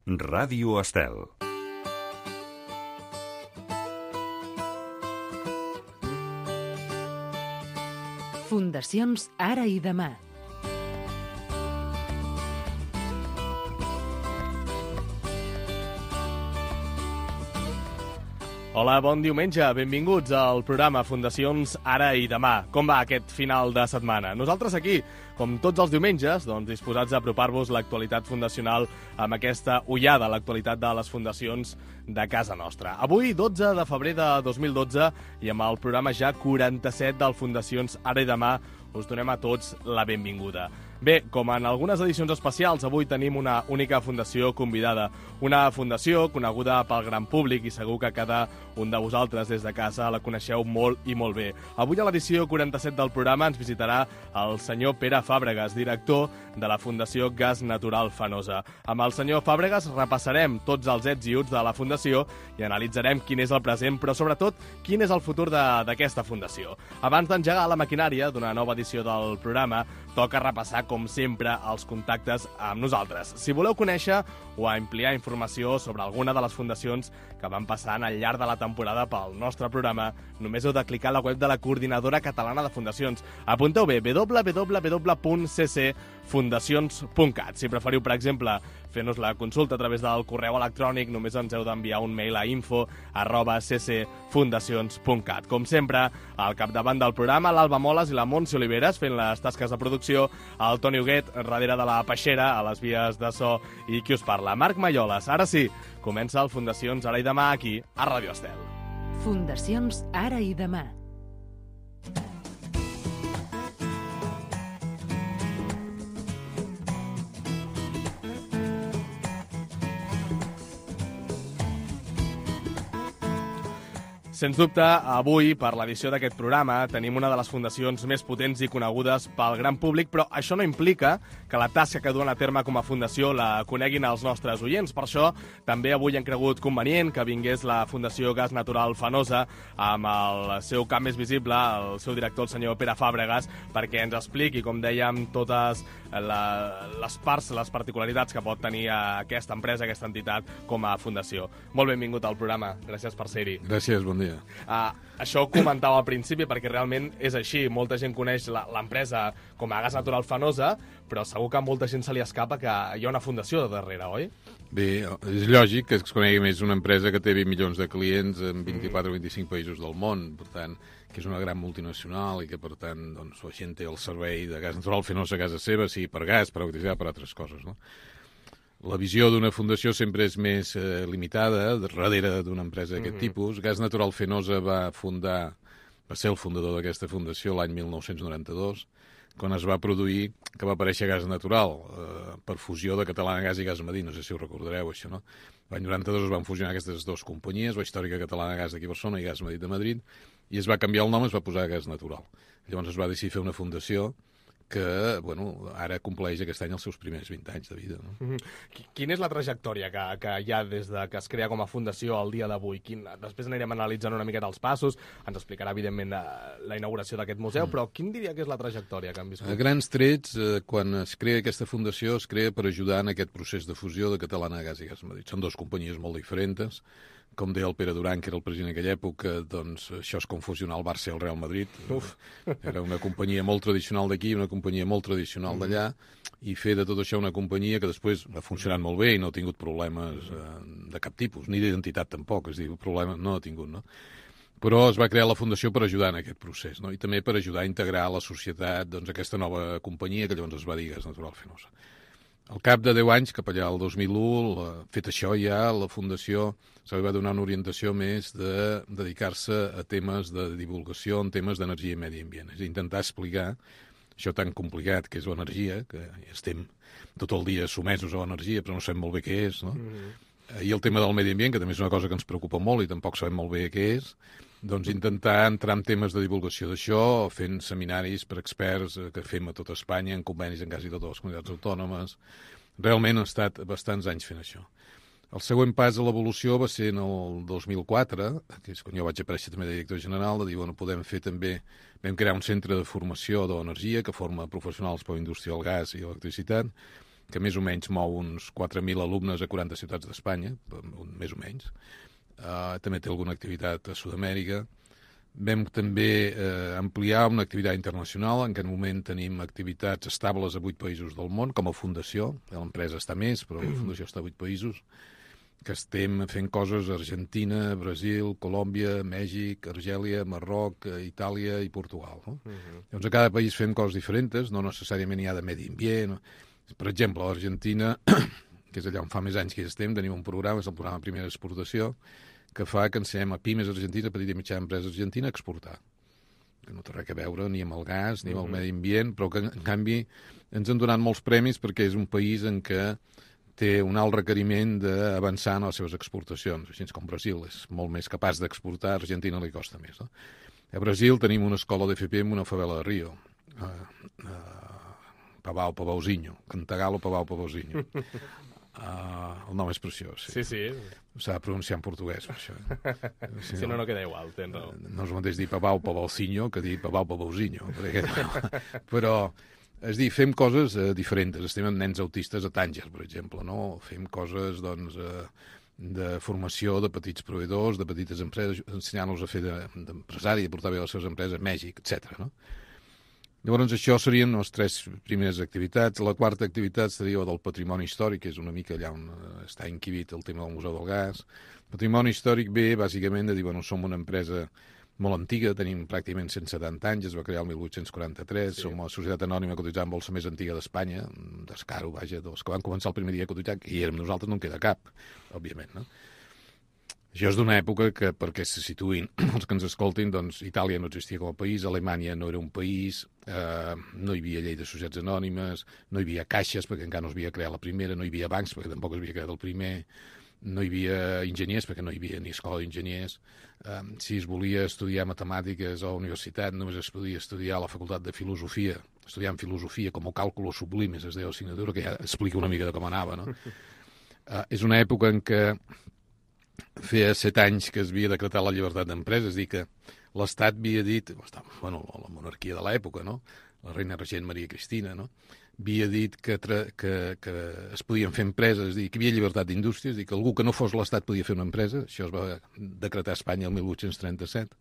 Ràdio Estel. Fundacions Ara i Demà. Hola, bon diumenge, benvinguts al programa Fundacions Ara i Demà. Com va aquest final de setmana? Nosaltres aquí, com tots els diumenges, disposats a apropar-vos l'actualitat fundacional amb aquesta ullada a l'actualitat de les fundacions de casa nostra. Avui, 12 de febrer de 2012, i amb el programa ja 47 del Fundacions Ara i Demà, us donem a tots la benvinguda. Bé, com en algunes edicions especials, avui tenim una única fundació convidada. Una fundació coneguda pel gran públic i segur que cada un de vosaltres des de casa la coneixeu molt i molt bé. Avui a l'edició 47 del programa ens visitarà el senyor Pere Fàbregas, director de la Fundació Gas Natural Fenosa. Amb el senyor Fàbregas repassarem tots els ets i uts de la fundació i analitzarem quin és el present, però sobretot quin és el futur d'aquesta fundació. Abans d'engegar la maquinària d'una nova edició del programa, toca repassar, com sempre, els contactes amb nosaltres. Si voleu conèixer o ampliar informació sobre alguna de les fundacions que van passant al llarg de la temporada pel nostre programa, només heu de clicar a la web de la Coordinadora Catalana de Fundacions. Apunteu bé, www.ccfundacions.cat. Si preferiu, per exemple, fer-nos la consulta a través del correu electrònic, només ens heu d'enviar un mail a info@ccfundacions.cat. Com sempre, al capdavant del programa, l'Alba Moles i la Montse Oliveres fent les tasques de producció, el Toni Huguet darrere de la peixera, a les vies de so, i qui us parla, Marc Malloles. Ara sí, comença el Fundacions Ara i Demà aquí a Ràdio Estel. Fundacions Ara i Demà. Sens dubte, avui, per l'edició d'aquest programa, tenim una de les fundacions més potents i conegudes pel gran públic, però això no implica que la tasca que duen a terme com a fundació la coneguin els nostres oients. Per això, també avui hem cregut convenient que vingués la Fundació Gas Natural Fenosa amb el seu cap més visible, el seu director, el senyor Pere Fàbregas, perquè ens expliqui, com dèiem, totes les parts, les particularitats que pot tenir aquesta empresa, aquesta entitat, com a fundació. Molt benvingut al programa. Gràcies per ser-hi. Gràcies, bon dia. Això ho comentava al principi perquè realment és així. Molta gent coneix l'empresa com a Gas Natural Fenosa, però segur que a molta gent se li escapa que hi ha una fundació de darrere, oi? Bé, és lògic que es conegui més una empresa que té 20 milions de clients en 24 o 25 països del món, per tant, que és una gran multinacional i que, per tant, doncs, la gent té el servei de Gas Natural Fenosa a casa seva, sigui per gas, per electricitat, per altres coses, no? La visió d'una fundació sempre és més limitada, darrere d'una empresa d'aquest tipus. Gas Natural Fenosa va ser el fundador d'aquesta fundació l'any 1992, quan es va produir que va aparèixer gas natural per fusió de Catalana Gas i Gas Madí, no sé si ho recordareu, això, no? L'any 92 es van fusionar aquestes dues companyies, la històrica Catalana Gas d'aquí a Barcelona i Gas Madí de Madrid, i es va canviar el nom, es va posar Gas Natural. Llavors es va decidir fer una fundació que, bueno, ara compleix aquest any els seus primers 20 anys de vida, no? Quina és la trajectòria que hi ha des de que es crea com a fundació al dia d'avui? Després anirem analitzant una miqueta els passos, ens explicarà, evidentment, la inauguració d'aquest museu, però quin diria que és la trajectòria que han viscut? A grans trets, quan es crea aquesta fundació, es crea per ajudar en aquest procés de fusió de Catalana Gas i Gas Madrid. Són dues companyies molt diferents. Com deia el Pere Duran, que era el president en aquella època, doncs això és com fusionar el Barça i el Real Madrid. Era una companyia molt tradicional d'aquí, una companyia molt tradicional d'allà, i fer de tot això una companyia que després ha funcionat molt bé i no ha tingut problemes de cap tipus, ni d'identitat tampoc, és a dir, problemes no ha tingut, no? Però es va crear la fundació per ajudar en aquest procés, no? I també per ajudar a integrar a la societat doncs, aquesta nova companyia que llavors es va dir Gas Natural Fenosa. Al cap de 10 anys, cap allà al 2001, fet això ja, la Fundació se li va donar una orientació més de dedicar-se a temes de divulgació en temes d'energia i medi ambient. És intentar explicar això tan complicat que és l'energia, que estem tot el dia somesos a l'energia, però no sabem molt bé què és, no? I el tema del medi ambient, que també és una cosa que ens preocupa molt i tampoc sabem molt bé què és, doncs intentar entrar en temes de divulgació d'això, fent seminaris per experts que fem a tot Espanya, en convenis en quasi totes les comunitats autònomes. Realment ha estat bastants anys fent això. El següent pas a l'evolució va ser en el 2004, que és quan jo vaig aparèixer també de director general, de dir, bueno, podem fer també... Vam crear un centre de formació de l'energia que forma professionals per la indústria del gas i l'electricitat, que més o menys mou uns 4.000 alumnes a 40 ciutats d'Espanya, més o menys. També té alguna activitat a Sud-amèrica. Vam també ampliar una activitat internacional. En aquest moment tenim activitats estables a 8 països del món, com a fundació. L'empresa està més, però la fundació està a 8 països. Que estem fent coses a Argentina, Brasil, Colòmbia, Mèxic, Argèlia, Marroc, Itàlia i Portugal. No? Llavors, a cada país fem coses diferents, no necessàriament hi ha de medi ambient. Per exemple, a l'Argentina, que és allà on fa més anys que hi estem, tenim un programa, és el programa Primera Exportació, que fa que ensenyem a pimes argentines, petita i mitjana empresa argentina, a exportar. Que no té res a veure ni amb el gas, ni amb el medi ambient, però que, en canvi, ens han donat molts premis perquè és un país en què té un alt requeriment d'avançar en les seves exportacions, així com Brasil és molt més capaç d'exportar, a Argentina li costa més. No? A Brasil tenim una escola d'FP en una favela de Rio, Pavauzinho, Cantagalo Pavauzinho. El nom és preciós. Sí, sí. S'ha de pronunciar en portuguès, això. Si no, no queda igual, tens raó. No és el mateix dir Pavauzinho que dir Pavauzinho. Però... És dir, fem coses diferents. Estem amb nens autistes a Tànger, per exemple, no? Fem coses, doncs, de formació de petits proveïdors, de petites empreses, ensenyant-los a fer d'empresari, de portar bé les seves empreses a Mèxic, etc. No? Llavors, això serien les 3 primeres activitats. La quarta activitat seria del patrimoni històric, que és una mica allà on està inquibit el tema del Museu del Gas. El patrimoni històric ve, bàsicament, de dir, bueno, som una empresa molt antiga, tenim pràcticament 170 anys, es va crear el 1843, sí. Som la societat anònima cotitzant en bolsa més antiga d'Espanya, d'Escaro, vaja, dels que van començar el primer dia a cotitzar, que hi érem nosaltres, no en queda cap, òbviament, no? Això és d'una època que, perquè se situïn els que ens escoltin, doncs Itàlia no existia com a país, Alemanya no era un país, no hi havia llei de societats anònimes, no hi havia caixes, perquè encara no es havia creat la primera, no hi havia bancs, perquè tampoc es havia creat el primer, no hi havia enginyers, perquè no hi havia ni escola d'enginyers. Si es volia estudiar matemàtiques a la universitat, només es podia estudiar a la facultat de filosofia, estudiant filosofia com a càlculo sublimes, es deia l'assignatura, que ja explica una mica de com anava, no? És una època en què feia 7 anys que es havia decretat la llibertat d'empresa, és a dir, que l'Estat havia dit, bueno, la monarquia de l'època, no? La reina regent Maria Cristina, no? Havia dit que es podien fer empreses, és a dir, que hi havia llibertat d'indústria, és a dir, que algú que no fos l'Estat podia fer una empresa, això es va decretar a Espanya el 1837,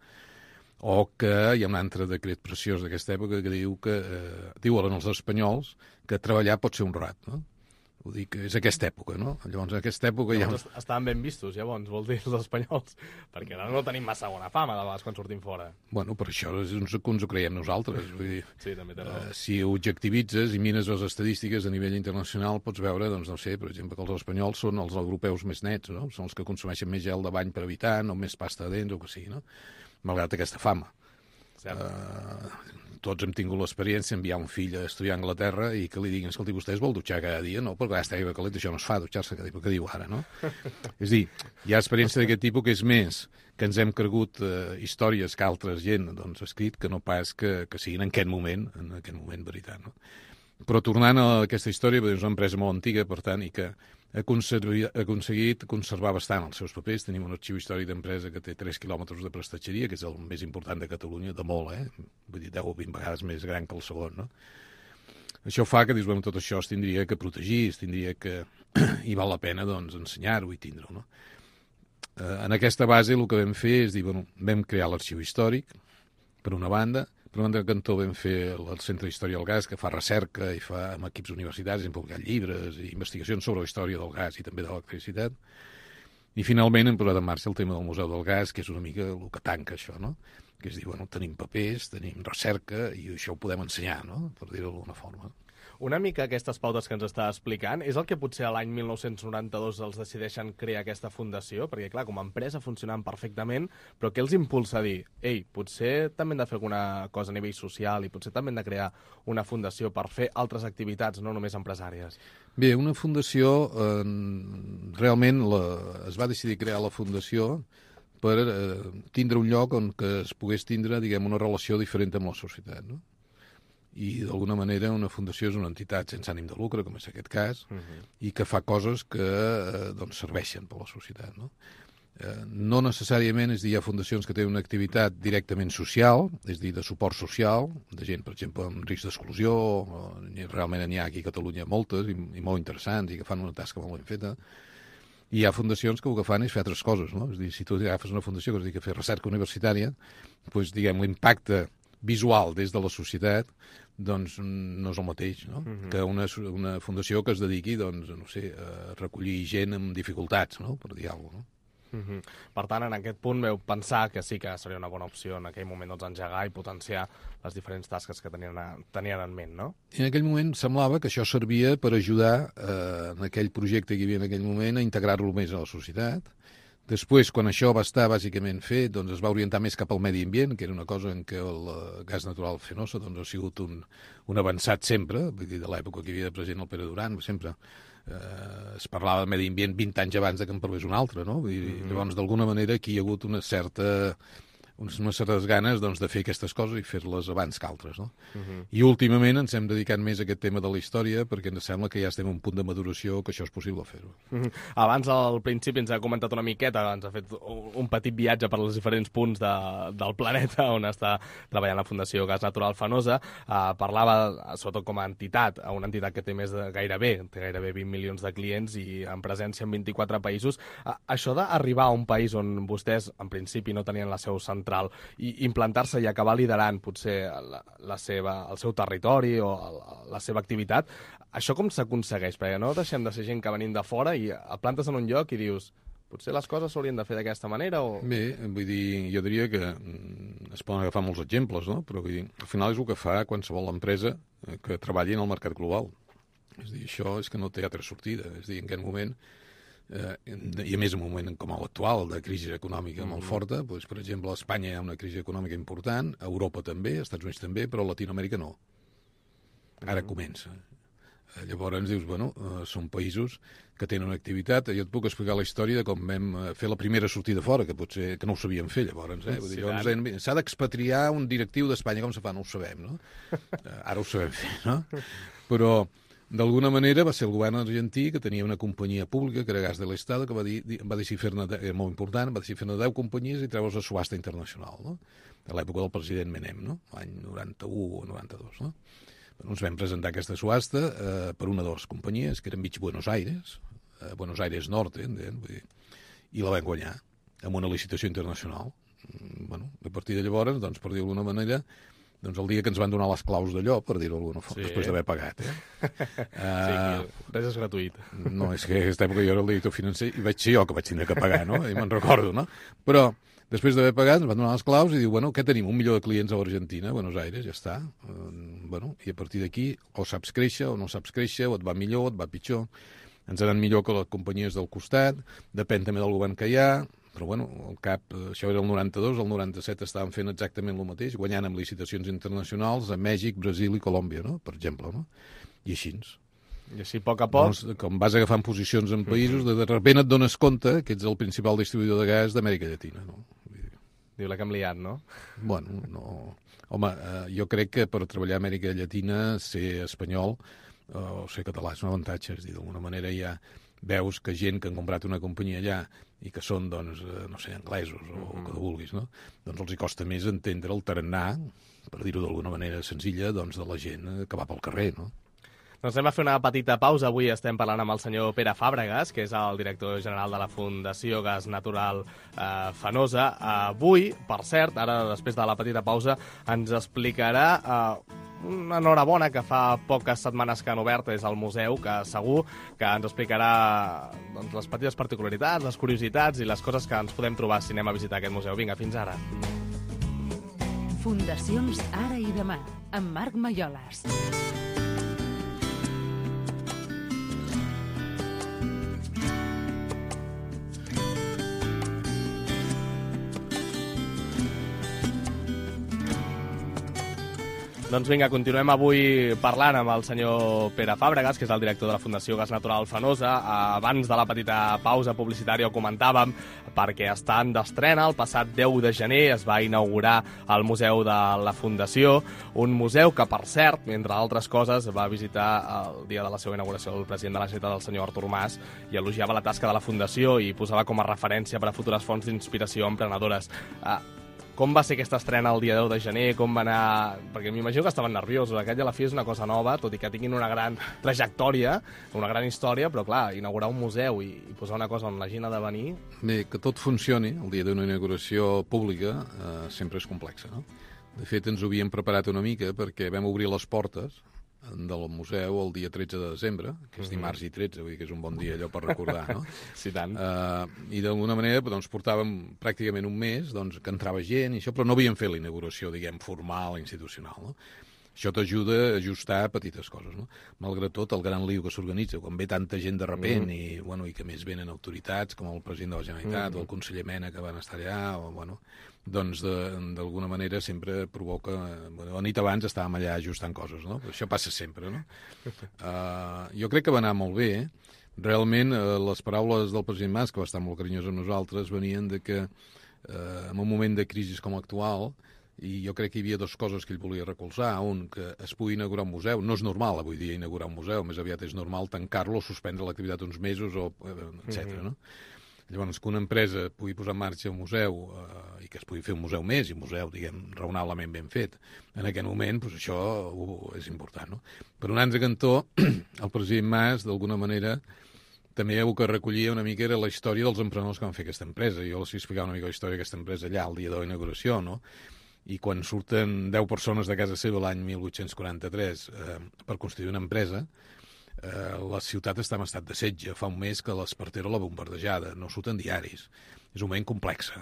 o que hi ha un altre decret preciós d'aquesta època que diuen els espanyols que treballar pot ser honrat, no? Vull dir que és aquesta època, no? Llavors, en aquesta època estaven ben vistos, llavors, vol dir, els espanyols, perquè ara no tenim massa bona fama de vegades quan sortim fora. Bueno, per això és que ens ho creiem nosaltres. Vull dir, sí, també té raó. Si ho objectivitzes i mires les estadístiques a nivell internacional, pots veure, doncs, no sé, per exemple, que els espanyols són els europeus més nets, no? Són els que consumeixen més gel de bany per habitant, o més pasta de dents, o que sigui, no? Malgrat aquesta fama. Tots hem tingut l'experiència d'enviar un fill a estudiar a Anglaterra i que li diguin, escolti, vostè es vol dutxar cada dia? No, perquè està aigua calenta, això no es fa, dutxar-se cada dia, què diu ara, no? És dir, hi ha experiència d'aquest tipus que és més que ens hem cregut històries que altres gent doncs, ha escrit que no pas que siguin en aquest moment veritat, no? Però tornant a aquesta història, és una empresa molt antiga, per tant, i que ha aconseguit conservar bastant els seus papers. Tenim un arxiu històric d'empresa que té 3 quilòmetres de prestatgeria, que és el més important de Catalunya, de molt, Vull dir, 10 o 20 vegades més gran que el segon, no? Això fa que, dius, bueno, tot això es tindria que protegir, es tindria que... i val la pena, doncs, ensenyar-ho i tindre-ho, no? En aquesta base el que vam fer és dir, bueno, vam crear l'arxiu històric, per una banda, per una banda cantó vam fer el Centre d'Història del Gas, que fa recerca i fa amb equips universitaris, hem publicat llibres i investigacions sobre la història del gas i també de l'electricitat. I finalment hem posat en marxa el tema del Museu del Gas, que és una mica el que tanca això, no? Que és dir, bueno, tenim papers, tenim recerca i això ho podem ensenyar, no? Per dir-ho d'alguna forma. Una mica aquestes pautes que ens està explicant, és el que potser a l'any 1992 els decideixen crear aquesta fundació? Perquè, clar, com a empresa funcionant perfectament, però què els impulsa a dir, ei, potser també hem de fer alguna cosa a nivell social i potser també hem de crear una fundació per fer altres activitats, no només empresàries? Bé, una fundació, realment es va decidir crear la fundació per tindre un lloc on que es pogués tindre, diguem, una relació diferent amb la societat, no? I d'alguna manera una fundació és una entitat sense ànim de lucre, com és aquest cas, i que fa coses que doncs, serveixen per la societat, no? No necessàriament, és a dir, hi ha fundacions que tenen una activitat directament social, és a dir, de suport social, de gent, per exemple, amb risc d'exclusió, realment n'hi ha aquí a Catalunya moltes i molt interessants i que fan una tasca molt ben feta. I hi ha fundacions que el que fan és fer altres coses, no? És a dir, si tu agafes una fundació que es dedica a fer recerca universitària, doncs, diguem, l'impacte visual des de la societat doncs no és el mateix, no? Que una fundació que es dediqui, doncs, no sé, a recollir gent amb dificultats, no? Per dir alguna cosa, no? Per tant, en aquest punt veu pensar que sí que seria una bona opció en aquell moment doncs, engegar i potenciar les diferents tasques que tenien en ment, no? I en aquell moment semblava que això servia per ajudar en aquell projecte que hi havia en aquell moment a integrar-lo més a la societat. Després, quan això va estar bàsicament fet, doncs es va orientar més cap al medi ambient, que era una cosa en què el gas natural fenosa doncs, ha sigut un avançat sempre, vull dir, de l'època que hi havia de present el Pere Duran, sempre es parlava de medi ambient 20 anys abans que en parlés un altre, no? I llavors, d'alguna manera, aquí hi ha hagut unes certes ganes doncs, de fer aquestes coses i fer-les abans que altres, no? I últimament ens hem dedicat més a aquest tema de la història perquè ens sembla que ja estem a un punt de maduració que això és possible fer-ho. Abans, al principi, ens ha comentat una miqueta, ens ha fet un petit viatge per als diferents punts del planeta on està treballant la Fundació Gas Natural Fenosa. Parlava, sobretot com a entitat, una entitat que té gairebé 20 milions de clients i en presència en 24 països. Això d'arribar a un país on vostès, en principi, no tenien la seu central i implantar-se i acabar liderant potser el seu territori o la seva activitat, això com s'aconsegueix? Perquè no deixem de ser gent que venim de fora i et plantes en un lloc i dius potser les coses s'haurien de fer d'aquesta manera o... Bé, vull dir, jo diria que es poden agafar molts exemples, no? Però vull dir, al final és el que fa qualsevol empresa que treballi en el mercat global. És a dir, això és que no té altra sortida. És a dir, en aquest moment i a més en un moment com l'actual de crisi econòmica molt forta, doncs, per exemple a Espanya hi ha una crisi econòmica important, a Europa també, als Estats Units també, però a Latinoamèrica no. Ara comença. Llavors dius, bueno, són països que tenen una activitat. Jo et puc explicar la història de com vam fer la primera sortida fora, que potser que no ho sabíem fer llavors. Vull dir, llavors s'ha d'expatriar un directiu d'Espanya, com se fa? No ho sabem, no? Ara ho sabem fer, no? Però d'alguna manera va ser el govern argentí que tenia una companyia pública, que era Gas de l'Estado, que va decidir fer-ne, molt important, va decidir fer-ne 10 companyies i treure's a subhasta internacional, no? A l'època del president Menem, no? L'any 91 o 92, no? Ens vam presentar aquesta subhasta per una de les companyies, que era enmig Buenos Aires, Buenos Aires Norte, i la vam guanyar amb una licitació internacional. Bueno, a partir de llavors, doncs, per dir-ho d'alguna manera, doncs el dia que ens van donar les claus d'allò, per dir-ho d'alguna forma, després d'haver pagat. Sí, res és gratuït. No, és que en aquesta època jo era el director financer i vaig ser jo que vaig tindre que pagar, no? I me'n recordo, no? Però després d'haver pagat ens van donar les claus i diu, bueno, què tenim? 1 milió de clients a l'Argentina, a Buenos Aires, ja està. Bueno, i a partir d'aquí o saps créixer o no saps créixer, o et va millor o et va pitjor. Ens ha anat millor que les companyies del costat, depèn també del govern que hi ha, però bueno, al cap, això era el 92, el 97 estaven fent exactament el mateix, guanyant amb licitacions internacionals a Mèxic, Brasil i Colòmbia, no? Per exemple, no? I així. I així, a poc a poc... Doncs, com vas agafant posicions en països, de repent et dones compte que ets el principal distribuïdor de gas d'Amèrica Llatina, no? Diu la que hem liat, no? Bueno, no... Home, jo crec que per treballar a Amèrica Llatina, ser espanyol o ser català és un avantatge, és a dir, d'alguna manera ja veus que gent que han comprat una companyia allà i que són, doncs, no sé, anglesos o que vulguis, no? Doncs els hi costa més entendre el tarannà, per dir-ho d'alguna manera senzilla, doncs, de la gent que va pel carrer, no? Doncs anem a fer una petita pausa. Avui estem parlant amb el senyor Pere Fàbregas, que és el director general de la Fundació Gas Natural Fenosa. Avui, per cert, ara després de la petita pausa, ens explicarà una enhorabona que fa poques setmanes que han obert és el museu, que segur que ens explicarà doncs, les petites particularitats, les curiositats i les coses que ens podem trobar si anem a visitar aquest museu. Vinga, fins ara. Fundacions Ara i Demà, amb Marc Maiolas. Doncs vinga, continuem avui parlant amb el senyor Pere Fàbregas, que és el director de la Fundació Gas Natural Fenosa. Abans de la petita pausa publicitària ho comentàvem, perquè estan d'estrena. El passat 10 de gener es va inaugurar el Museu de la Fundació, un museu que, per cert, entre altres coses, va visitar el dia de la seva inauguració el president de la Generalitat, el senyor Artur Mas, i elogiava la tasca de la Fundació i posava com a referència per a futures fonts d'inspiració emprenedores. Com va ser aquesta estrena el dia 10 de gener? Com va anar? Perquè m'imagino que estaven nerviosos. Aquest i a la fi és una cosa nova, tot i que tinguin una gran trajectòria, una gran història, però clar, inaugurar un museu i posar una cosa on la gent ha de venir... Bé, que tot funcioni el dia d'una inauguració pública sempre és complexa, no? De fet, ens ho havíem preparat una mica perquè vam obrir les portes del museu el dia 13 de desembre, que és dimarts i 13, vull dir que és un bon dia allò per recordar, no? Sí, tant. I d'alguna manera doncs, portàvem pràcticament un mes doncs, que entrava gent i això, però no havíem fet la inauguració, diguem, formal, institucional, no? Això t'ajuda a ajustar petites coses, no? Malgrat tot, el gran lío que s'organitza, quan ve tanta gent de repent i que més venen autoritats, com el president de la Generalitat o el conseller Mena, que van estar allà, doncs d'alguna manera sempre provoca... la nit abans estàvem allà ajustant coses, no? Però això passa sempre, no? Jo crec que va anar molt bé. Realment, les paraules del president Mas, que va estar molt carinyós amb nosaltres, venien de que en un moment de crisi com l'actual, i jo crec que hi havia dues coses que ell volia recolzar. Un, que es pugui inaugurar un museu. No és normal avui dia inaugurar un museu, més aviat és normal tancar-lo o suspendre l'activitat uns mesos, etc. No? Llavors, que una empresa pugui posar en marxa un museu i que es pugui fer un museu més, i un museu, diguem, raonablement ben fet, en aquest moment, doncs això és important. No? Per un altre cantó, el president Mas, d'alguna manera, també el que recollia una mica era la història dels emprenedors que van fer aquesta empresa. Jo els explicava una mica la història d'aquesta empresa allà, el dia de la inauguració, no? I quan surten 10 persones de casa seva l'any 1843 per constituir una empresa, la ciutat està en estat de setge. Fa un mes que l'Espartero l'ha bombardejada, no surten diaris. És un moment complex.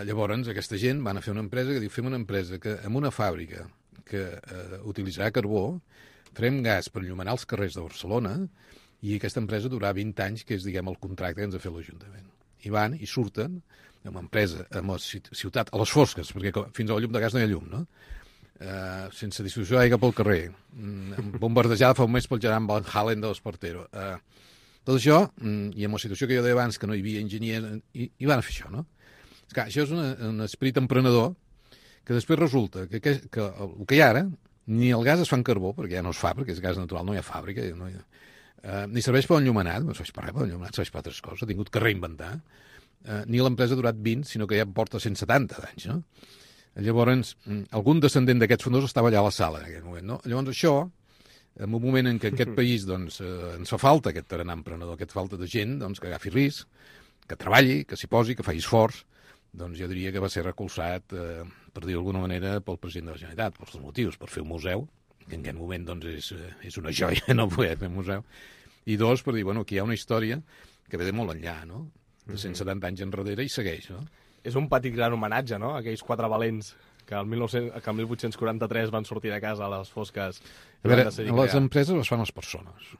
Llavors, aquesta gent van a fer una empresa que diu, fem una empresa que en una fàbrica que utilitzarà carbó, farem gas per enllumenar els carrers de Barcelona i aquesta empresa durarà 20 anys, que és, diguem, el contracte que ens ha fet l'Ajuntament. I van i surten amb empresa, amb la ciutat, a les fosques, perquè fins a la llum de gas no hi ha llum, no? Sense distribució d'aigua pel carrer, bombardejada fa un mes pel gegant Van Halen de l'Espartero. Tot això, i amb la situació que jo deia abans, que no hi havia enginyers, i van a fer això, no? Esclar, això és un esperit emprenedor que després resulta que el que hi ha ara, ni el gas es fa en carbó, perquè ja no es fa, perquè és gas natural, no hi ha fàbrica, ni serveix per enllumenat, no serveix per res, per enllumenat serveix per altres coses, ha tingut que reinventar. Ni l'empresa ha durat 20, sinó que ja porta 170 d'anys, no? Llavors, algun descendent d'aquests fundadors estava allà a la sala en aquell moment, no? Llavors això, en un moment en què aquest país doncs, ens fa falta aquest tarannà emprenedor, aquesta falta de gent doncs, que agafi risc, que treballi, que s'hi posi, que faci esforç, doncs jo diria que va ser recolzat, per dir d'alguna manera, pel president de la Generalitat, pels dos motius, per fer un museu, que en aquest moment doncs, és una joia no poder fer un museu, i dos, per dir, aquí hi ha una història que ve de molt enllà, no? De 170 anys enrere i segueix, no? És un petit gran homenatge, no?, aquells quatre valents que el 1843 van sortir de casa a les fosques. A veure, les empreses les fan les persones.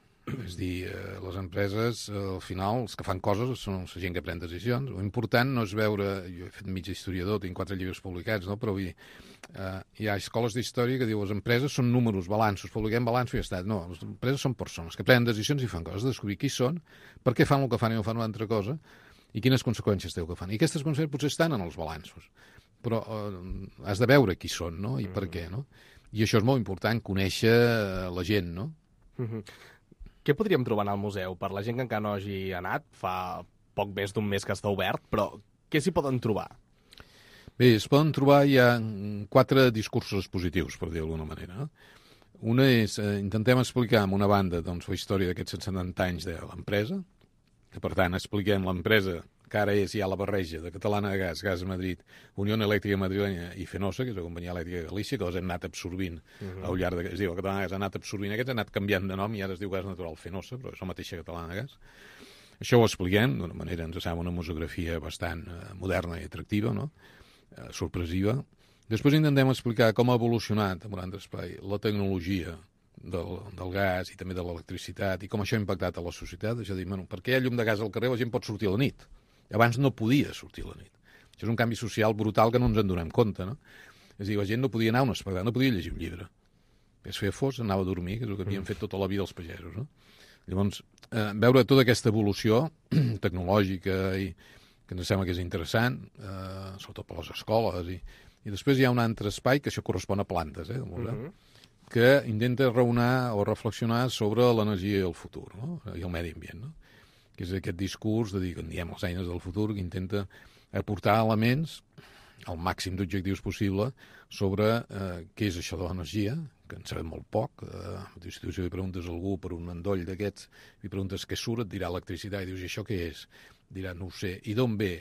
És dir, les empreses, al final, els que fan coses són la gent que pren decisions. L'important no és veure... Jo he fet mig historiador, tinc 4 llibres publicats, no? Però vull dir, hi ha escoles d'història que diu les empreses són números, balanços, publiquem balanços i ja està. No, les empreses són persones que prenen decisions i fan coses, descobrir qui són, per què fan el que fan i no fan una altra cosa, i quines conseqüències té el que fan. I aquestes conseqüències potser estan en els balanços, però has de veure qui són, no?, i per què, no? I això és molt important, conèixer la gent, no? Què podríem trobar al museu? Per la gent que encara no hagi anat, fa poc més d'un mes que està obert, però què s'hi poden trobar? Bé, es poden trobar ja 4 discursos expositius, per dir d'alguna manera, no? Una és, intentem explicar amb una banda doncs, la història d'aquests 170 anys de l'empresa, que per tant expliquem l'empresa que ara és ja la barreja de Catalana de Gas, Gas de Madrid, Unió Elèctrica Madrilenya i Fenosa, que és la companyia elèctrica de Galícia, que les hem anat absorbint al llarg de... Es diu, Catalana de Gas ha anat absorbint aquests, ha anat canviant de nom i ara es diu Gas Natural Fenosa, però és la mateixa Catalana de Gas. Això ho expliquem d'una manera, ens sembla una museografia bastant moderna i atractiva, no? Sorpresiva. Després intentem explicar com ha evolucionat, en un altre espai, la tecnologia del gas i també de l'electricitat i com això ha impactat a la societat. És a dir, per què hi ha llum de gas al carrer la gent pot sortir a la nit? Abans no podia sortir a la nit. Això és un canvi social brutal que no ens en donem compte, no? És a dir, la gent no podia anar a un espectacle, no podia llegir un llibre. Es feia fos, anava a dormir, que és el que havien fet tota la vida els pagesos, no? Llavors, veure tota aquesta evolució tecnològica i que ens sembla que és interessant, sobretot per les escoles, i després hi ha un altre espai que això correspon a plantes, que intenta raonar o reflexionar sobre l'energia i el futur, no? I el medi ambient, no? Que és aquest discurs de dir, que en diem les eines del futur, que intenta aportar elements, el màxim d'objectius possible, sobre què és això de l'energia, que en sabem molt poc. Si tu li preguntes a algú per un endoll d'aquests, li preguntes què surt, et dirà electricitat, i dius, i això què és? Dirà, no ho sé. I d'on ve?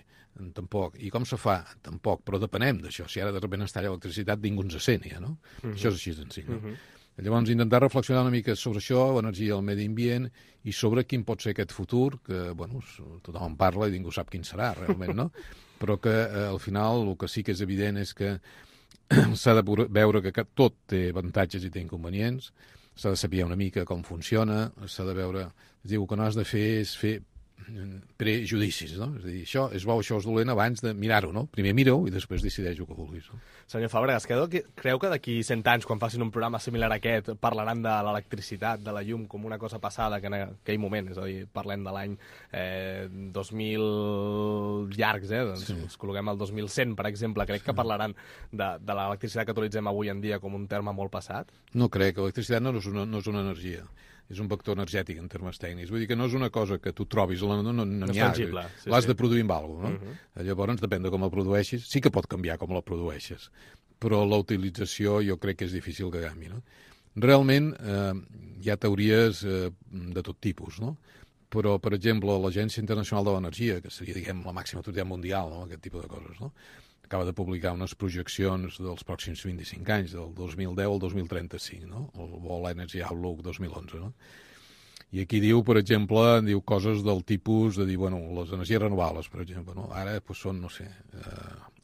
Tampoc. I com se fa? Tampoc. Però depenem d'això. Si ara de sobte es talla l'electricitat, ningú ens sent, ja, no? Això és així senzill, no? Llavors, intentar reflexionar una mica sobre això, l'energia del medi ambient, i sobre quin pot ser aquest futur, que, bueno, tothom en parla i ningú sap quin serà, realment, no? Però que, al final, el que sí que és evident és que s'ha de veure que tot té avantatges i té inconvenients, s'ha de saber una mica com funciona, s'ha de veure... Es diu que no has de fer és fer prejudicis, no? És a dir, això és bo, això és dolent abans de mirar-ho, no? Primer mira-ho i després decideix el que vulguis, no? Senyor Fàbregas, creu que d'aquí 100 anys, quan facin un programa similar a aquest, parlaran de l'electricitat, de la llum, com una cosa passada que en aquell moment, és a dir, parlem de l'any 2000 llargs, doncs ens col·loquem al 2100, per exemple. Crec que parlaran de l'electricitat que utilitzem avui en dia com un terme molt passat? No crec, l'electricitat no és una energia. És un vector energètic en termes tècnics. Vull dir que no és una cosa que tu trobis, no n'hi ha. L'has de produir amb alguna cosa, no? Llavors, depèn de com la produeixis. Sí que pot canviar com la produeixes, però la utilització jo crec que és difícil que canvi, no? Realment, hi ha teories de tot tipus, no? Però, per exemple, l'Agència Internacional de l'Energia, que seria, diguem, la màxima autoritat mundial, no? Aquest tipus de coses, no? Acaba de publicar unes projeccions dels pròxims 25 anys, del 2010 al 2035, no? El World Energy Outlook 2011, no? I aquí diu, per exemple, diu coses del tipus de dir, bueno, les energies renovables, per exemple, no? Ara són, no sé,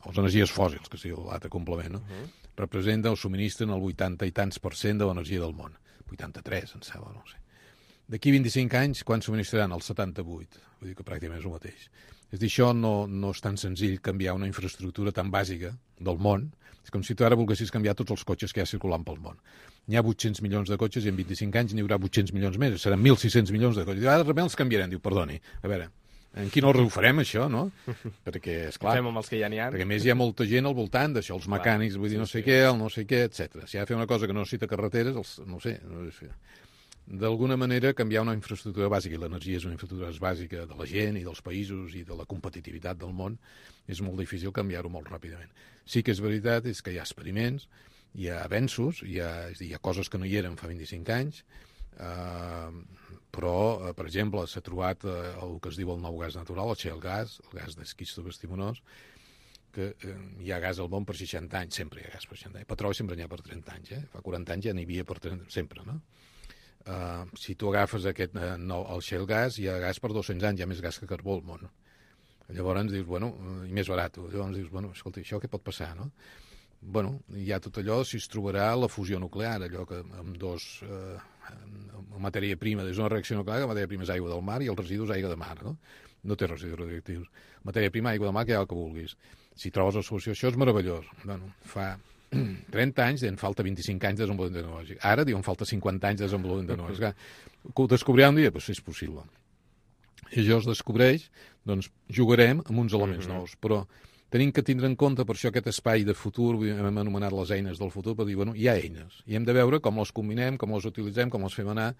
les energies fòssils, que sigui l'altre complement, no? Representen o subministren el 80 i tants % de l'energia del món. 83, em sembla, no sé. D'aquí 25 anys, quan subministraran? El 78. Vull dir que pràcticament és el mateix. És dir, això no és tan senzill canviar una infraestructura tan bàsica del món. És com si tu ara volguessis canviar tots els cotxes que hi ha circulant pel món. N'hi ha 800 milions de cotxes i en 25 anys n'hi haurà 800 milions més. Seran 1.600 milions de cotxes. I ara de sobte els canviarem. Diu, perdoni, a veure, en quin ordre ho farem, això, no? Perquè, esclar... Fem amb els que ja n'hi ha. Perquè, a més, hi ha molta gent al voltant d'això, els mecànics, vull dir, no sé què, el no sé què, etc. Si ha de fer una cosa que no necessita carreteres, no sé... D'alguna manera, canviar una infraestructura bàsica, i l'energia és una infraestructura bàsica de la gent i dels països i de la competitivitat del món, és molt difícil canviar-ho molt ràpidament. Sí que és veritat és que hi ha experiments, hi ha avenços, hi ha coses que no hi eren fa 25 anys, però, per exemple, s'ha trobat el que es diu el nou gas natural, el shale gas, el gas d'esquisto bestimonós, que hi ha gas al món per 60 anys, sempre hi ha gas per 60 anys. Petroli sempre n'hi ha per 30 anys, fa 40 anys ja n'hi havia per 30, sempre, no? Si tu agafes el shale gas, hi ha gas per 200 anys, hi ha més gas que carbó al món. Llavors dius, bueno, i més barat. Llavors dius, bueno, escolta, això què pot passar, no? Bueno, hi ha tot allò, si es trobarà la fusió nuclear, allò que amb matèria prima, des d'una reacció nuclear, la matèria prima és aigua del mar i el residu és aigua de mar, no? No té residus radioactius. Matèria prima, aigua del mar, que hi ha el que vulguis. Si trobes la solució, això és meravellós. Bueno, fa 30 anys, en falta 25 anys de desenvolupament tecnològic. Ara, diuen, falta 50 anys de desenvolupament tecnològic. Ho descobrirà un dia? Doncs és possible. I això es descobreix, doncs jugarem amb uns elements nous, però tenim que tindre en compte, per això aquest espai de futur, hem anomenat les eines del futur, per dir, bueno, hi ha eines, i hem de veure com les combinem, com les utilitzem, com les fem anar,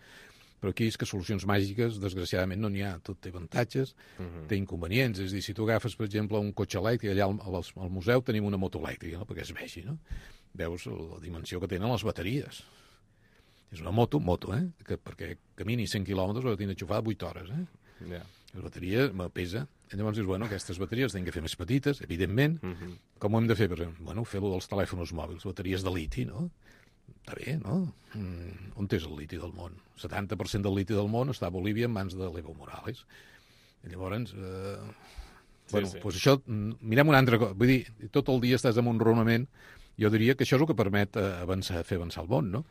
però aquí és que solucions màgiques, desgraciadament, no n'hi ha. Tot té avantatges, té inconvenients. És a dir, si tu agafes, per exemple, un cotxe elèctric, allà al museu tenim una moto elèctrica, no? Perquè es vegi, no? Veus la dimensió que tenen les bateries. És una moto, perquè camini 100 quilòmetres ho ha de tenir enxufada 8 hores, Yeah. La bateria pesa. I llavors dius, bueno, aquestes bateries tenen que fer més petites, evidentment. Com ho hem de fer? Per exemple, bueno, fer-ho dels telèfons mòbils, bateries de liti, no? Està bé, no? On és el liti del món? 70% del liti del món està a Bolívia en mans de l'Evo Morales. I llavors, bueno, doncs això, mirem una altra cosa. Vull dir, tot el dia estàs en un raonament Jo diria que això és el que permet fer avançar el món, no?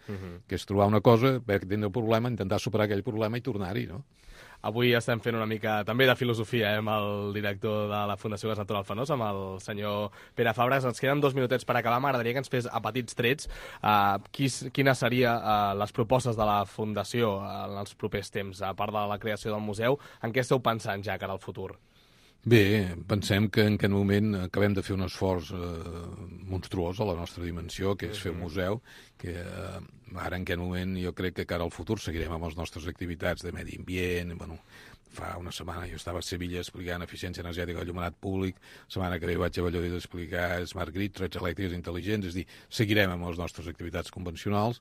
Que és trobar una cosa, veure que tindre un problema, intentar superar aquell problema i tornar-hi, no? Avui estem fent una mica també de filosofia amb el director de la Fundació Gas Natural Fenós, amb el senyor Pere Fàbregas. Ens queden 2 minutets per acabar. M'agradaria que ens fes a petits trets quines serien les propostes de la Fundació en els propers temps, a part de la creació del museu. En què esteu pensant ja cara al futur? Bé, pensem que en aquest moment acabem de fer un esforç monstruós a la nostra dimensió, que és fer un museu, que ara en aquest moment jo crec que cara al futur seguirem amb les nostres activitats de medi ambient. Bueno, fa una setmana jo estava a Sevilla explicant eficiència energètica del allumenat públic, la setmana que ve vaig a Valladolid a explicar Smart Grid, trets elèctriques intel·ligents, és a dir, seguirem amb les nostres activitats convencionals.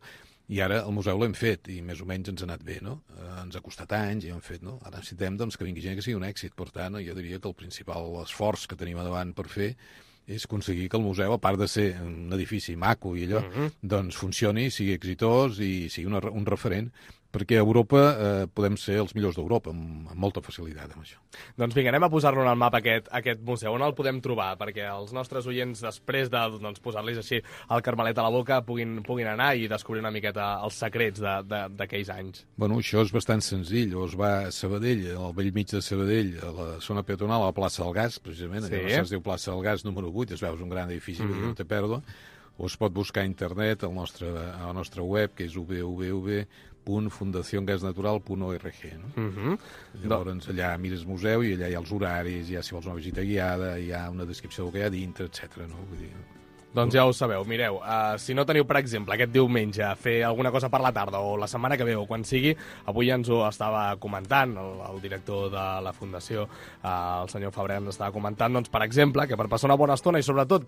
I ara el museu l'hem fet i més o menys ens ha anat bé, no? Ens ha costat anys i hem fet, no? Ara necessitem doncs, que vingui gent que sigui un èxit. Per tant, jo diria que el principal esforç que tenim davant per fer és aconseguir que el museu, a part de ser un edifici maco i allò, doncs funcioni, sigui exitós i sigui un referent, perquè a Europa podem ser els millors d'Europa, amb molta facilitat amb això. Doncs vinga, anem a posar-lo en el mapa aquest museu. On el podem trobar? Perquè els nostres oients, després de posar-los així el carmelet a la boca, puguin anar i descobrir una miqueta els secrets d'aquells anys. Bueno, això és bastant senzill. Es va a Sabadell, al bell mig de Sabadell, a la zona peatonal, a la plaça del Gas, precisament. Sí. Allà es diu plaça del Gas número 8, es veu, és un gran edifici, no té pèrdua. O es pot buscar a internet a la nostra web, que és www.fundaciongasnatural.org. No? Llavors allà mires museu i allà hi ha els horaris, si vols una visita guiada, hi ha una descripció del que hi ha dintre, etc. No? Vull dir... Doncs ja ho sabeu, mireu, si no teniu, per exemple, aquest diumenge fer alguna cosa per la tarda o la setmana que ve o quan sigui, avui ja ens ho estava comentant el director de la Fundació, el senyor Fabrer, ens estava comentant, doncs, per exemple, que per passar una bona estona i sobretot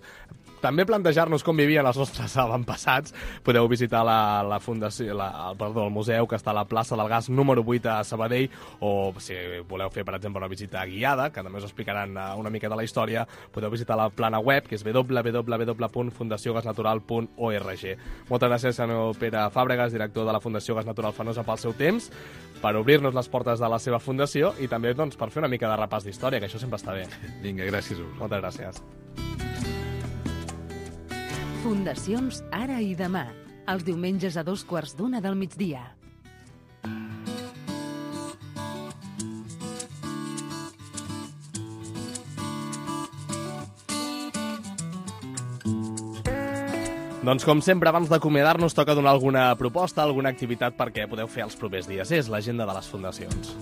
també plantejar-nos com vivien els nostres avantpassats, podeu visitar la Fundació, el museu que està a la plaça del Gas número 8 a Sabadell, o si voleu fer, per exemple, una visita guiada, que també us explicaran una mica de la història, podeu visitar la plana web, que és www.fundaciongasnatural.org. Moltes gràcies, senyor Pere Fàbregas, director de la Fundació Gas Natural Fenosa, pel seu temps, per obrir-nos les portes de la seva fundació i també doncs, per fer una mica de repàs d'història, que això sempre està bé. Vinga, gràcies a vosaltres. Moltes gràcies. Fundacions Ara i Demà, els diumenges a 14:15 del migdia. Doncs com sempre, abans d'acomiadar-nos, toca donar alguna proposta, alguna activitat perquè podeu fer els propers dies. És l'agenda de les fundacions.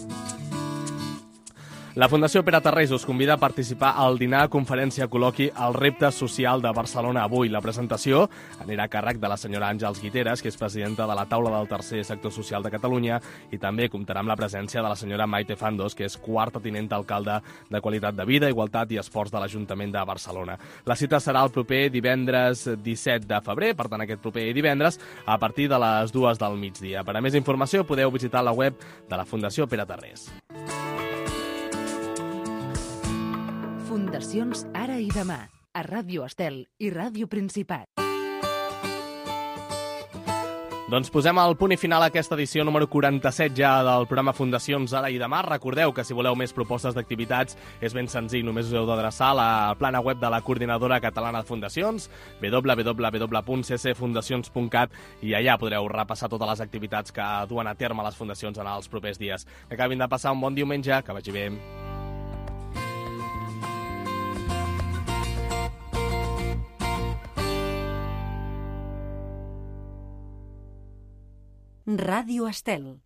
La Fundació Pere Tarrés us convida a participar al dinar, conferència, col·loqui El repte social de Barcelona avui. La presentació anirà a càrrec de la senyora Àngels Guiteres, que és presidenta de la taula del tercer sector social de Catalunya, i també comptarà amb la presència de la senyora Maite Fandos, que és quarta tinent alcalde de Qualitat de Vida, Igualtat i Esports de l'Ajuntament de Barcelona. La cita serà el proper divendres 17 de febrer, per tant aquest proper divendres, a partir de les 2 del migdia. Per a més informació podeu visitar la web de la Fundació Pere Tarrés. Fundacions Ara i Demà, a Ràdio Estel i Ràdio Principat. Doncs posem el punt i final a aquesta edició número 47 ja del programa Fundacions Ara i Demà. Recordeu que si voleu més propostes d'activitats és ben senzill, només us heu d'adreçar a la plana web de la Coordinadora Catalana de Fundacions, www.ccfundacions.cat, i allà podreu repassar totes les activitats que duen a terme les fundacions en els propers dies. Que acabin de passar un bon diumenge, que vagi bé. Ràdio Estel.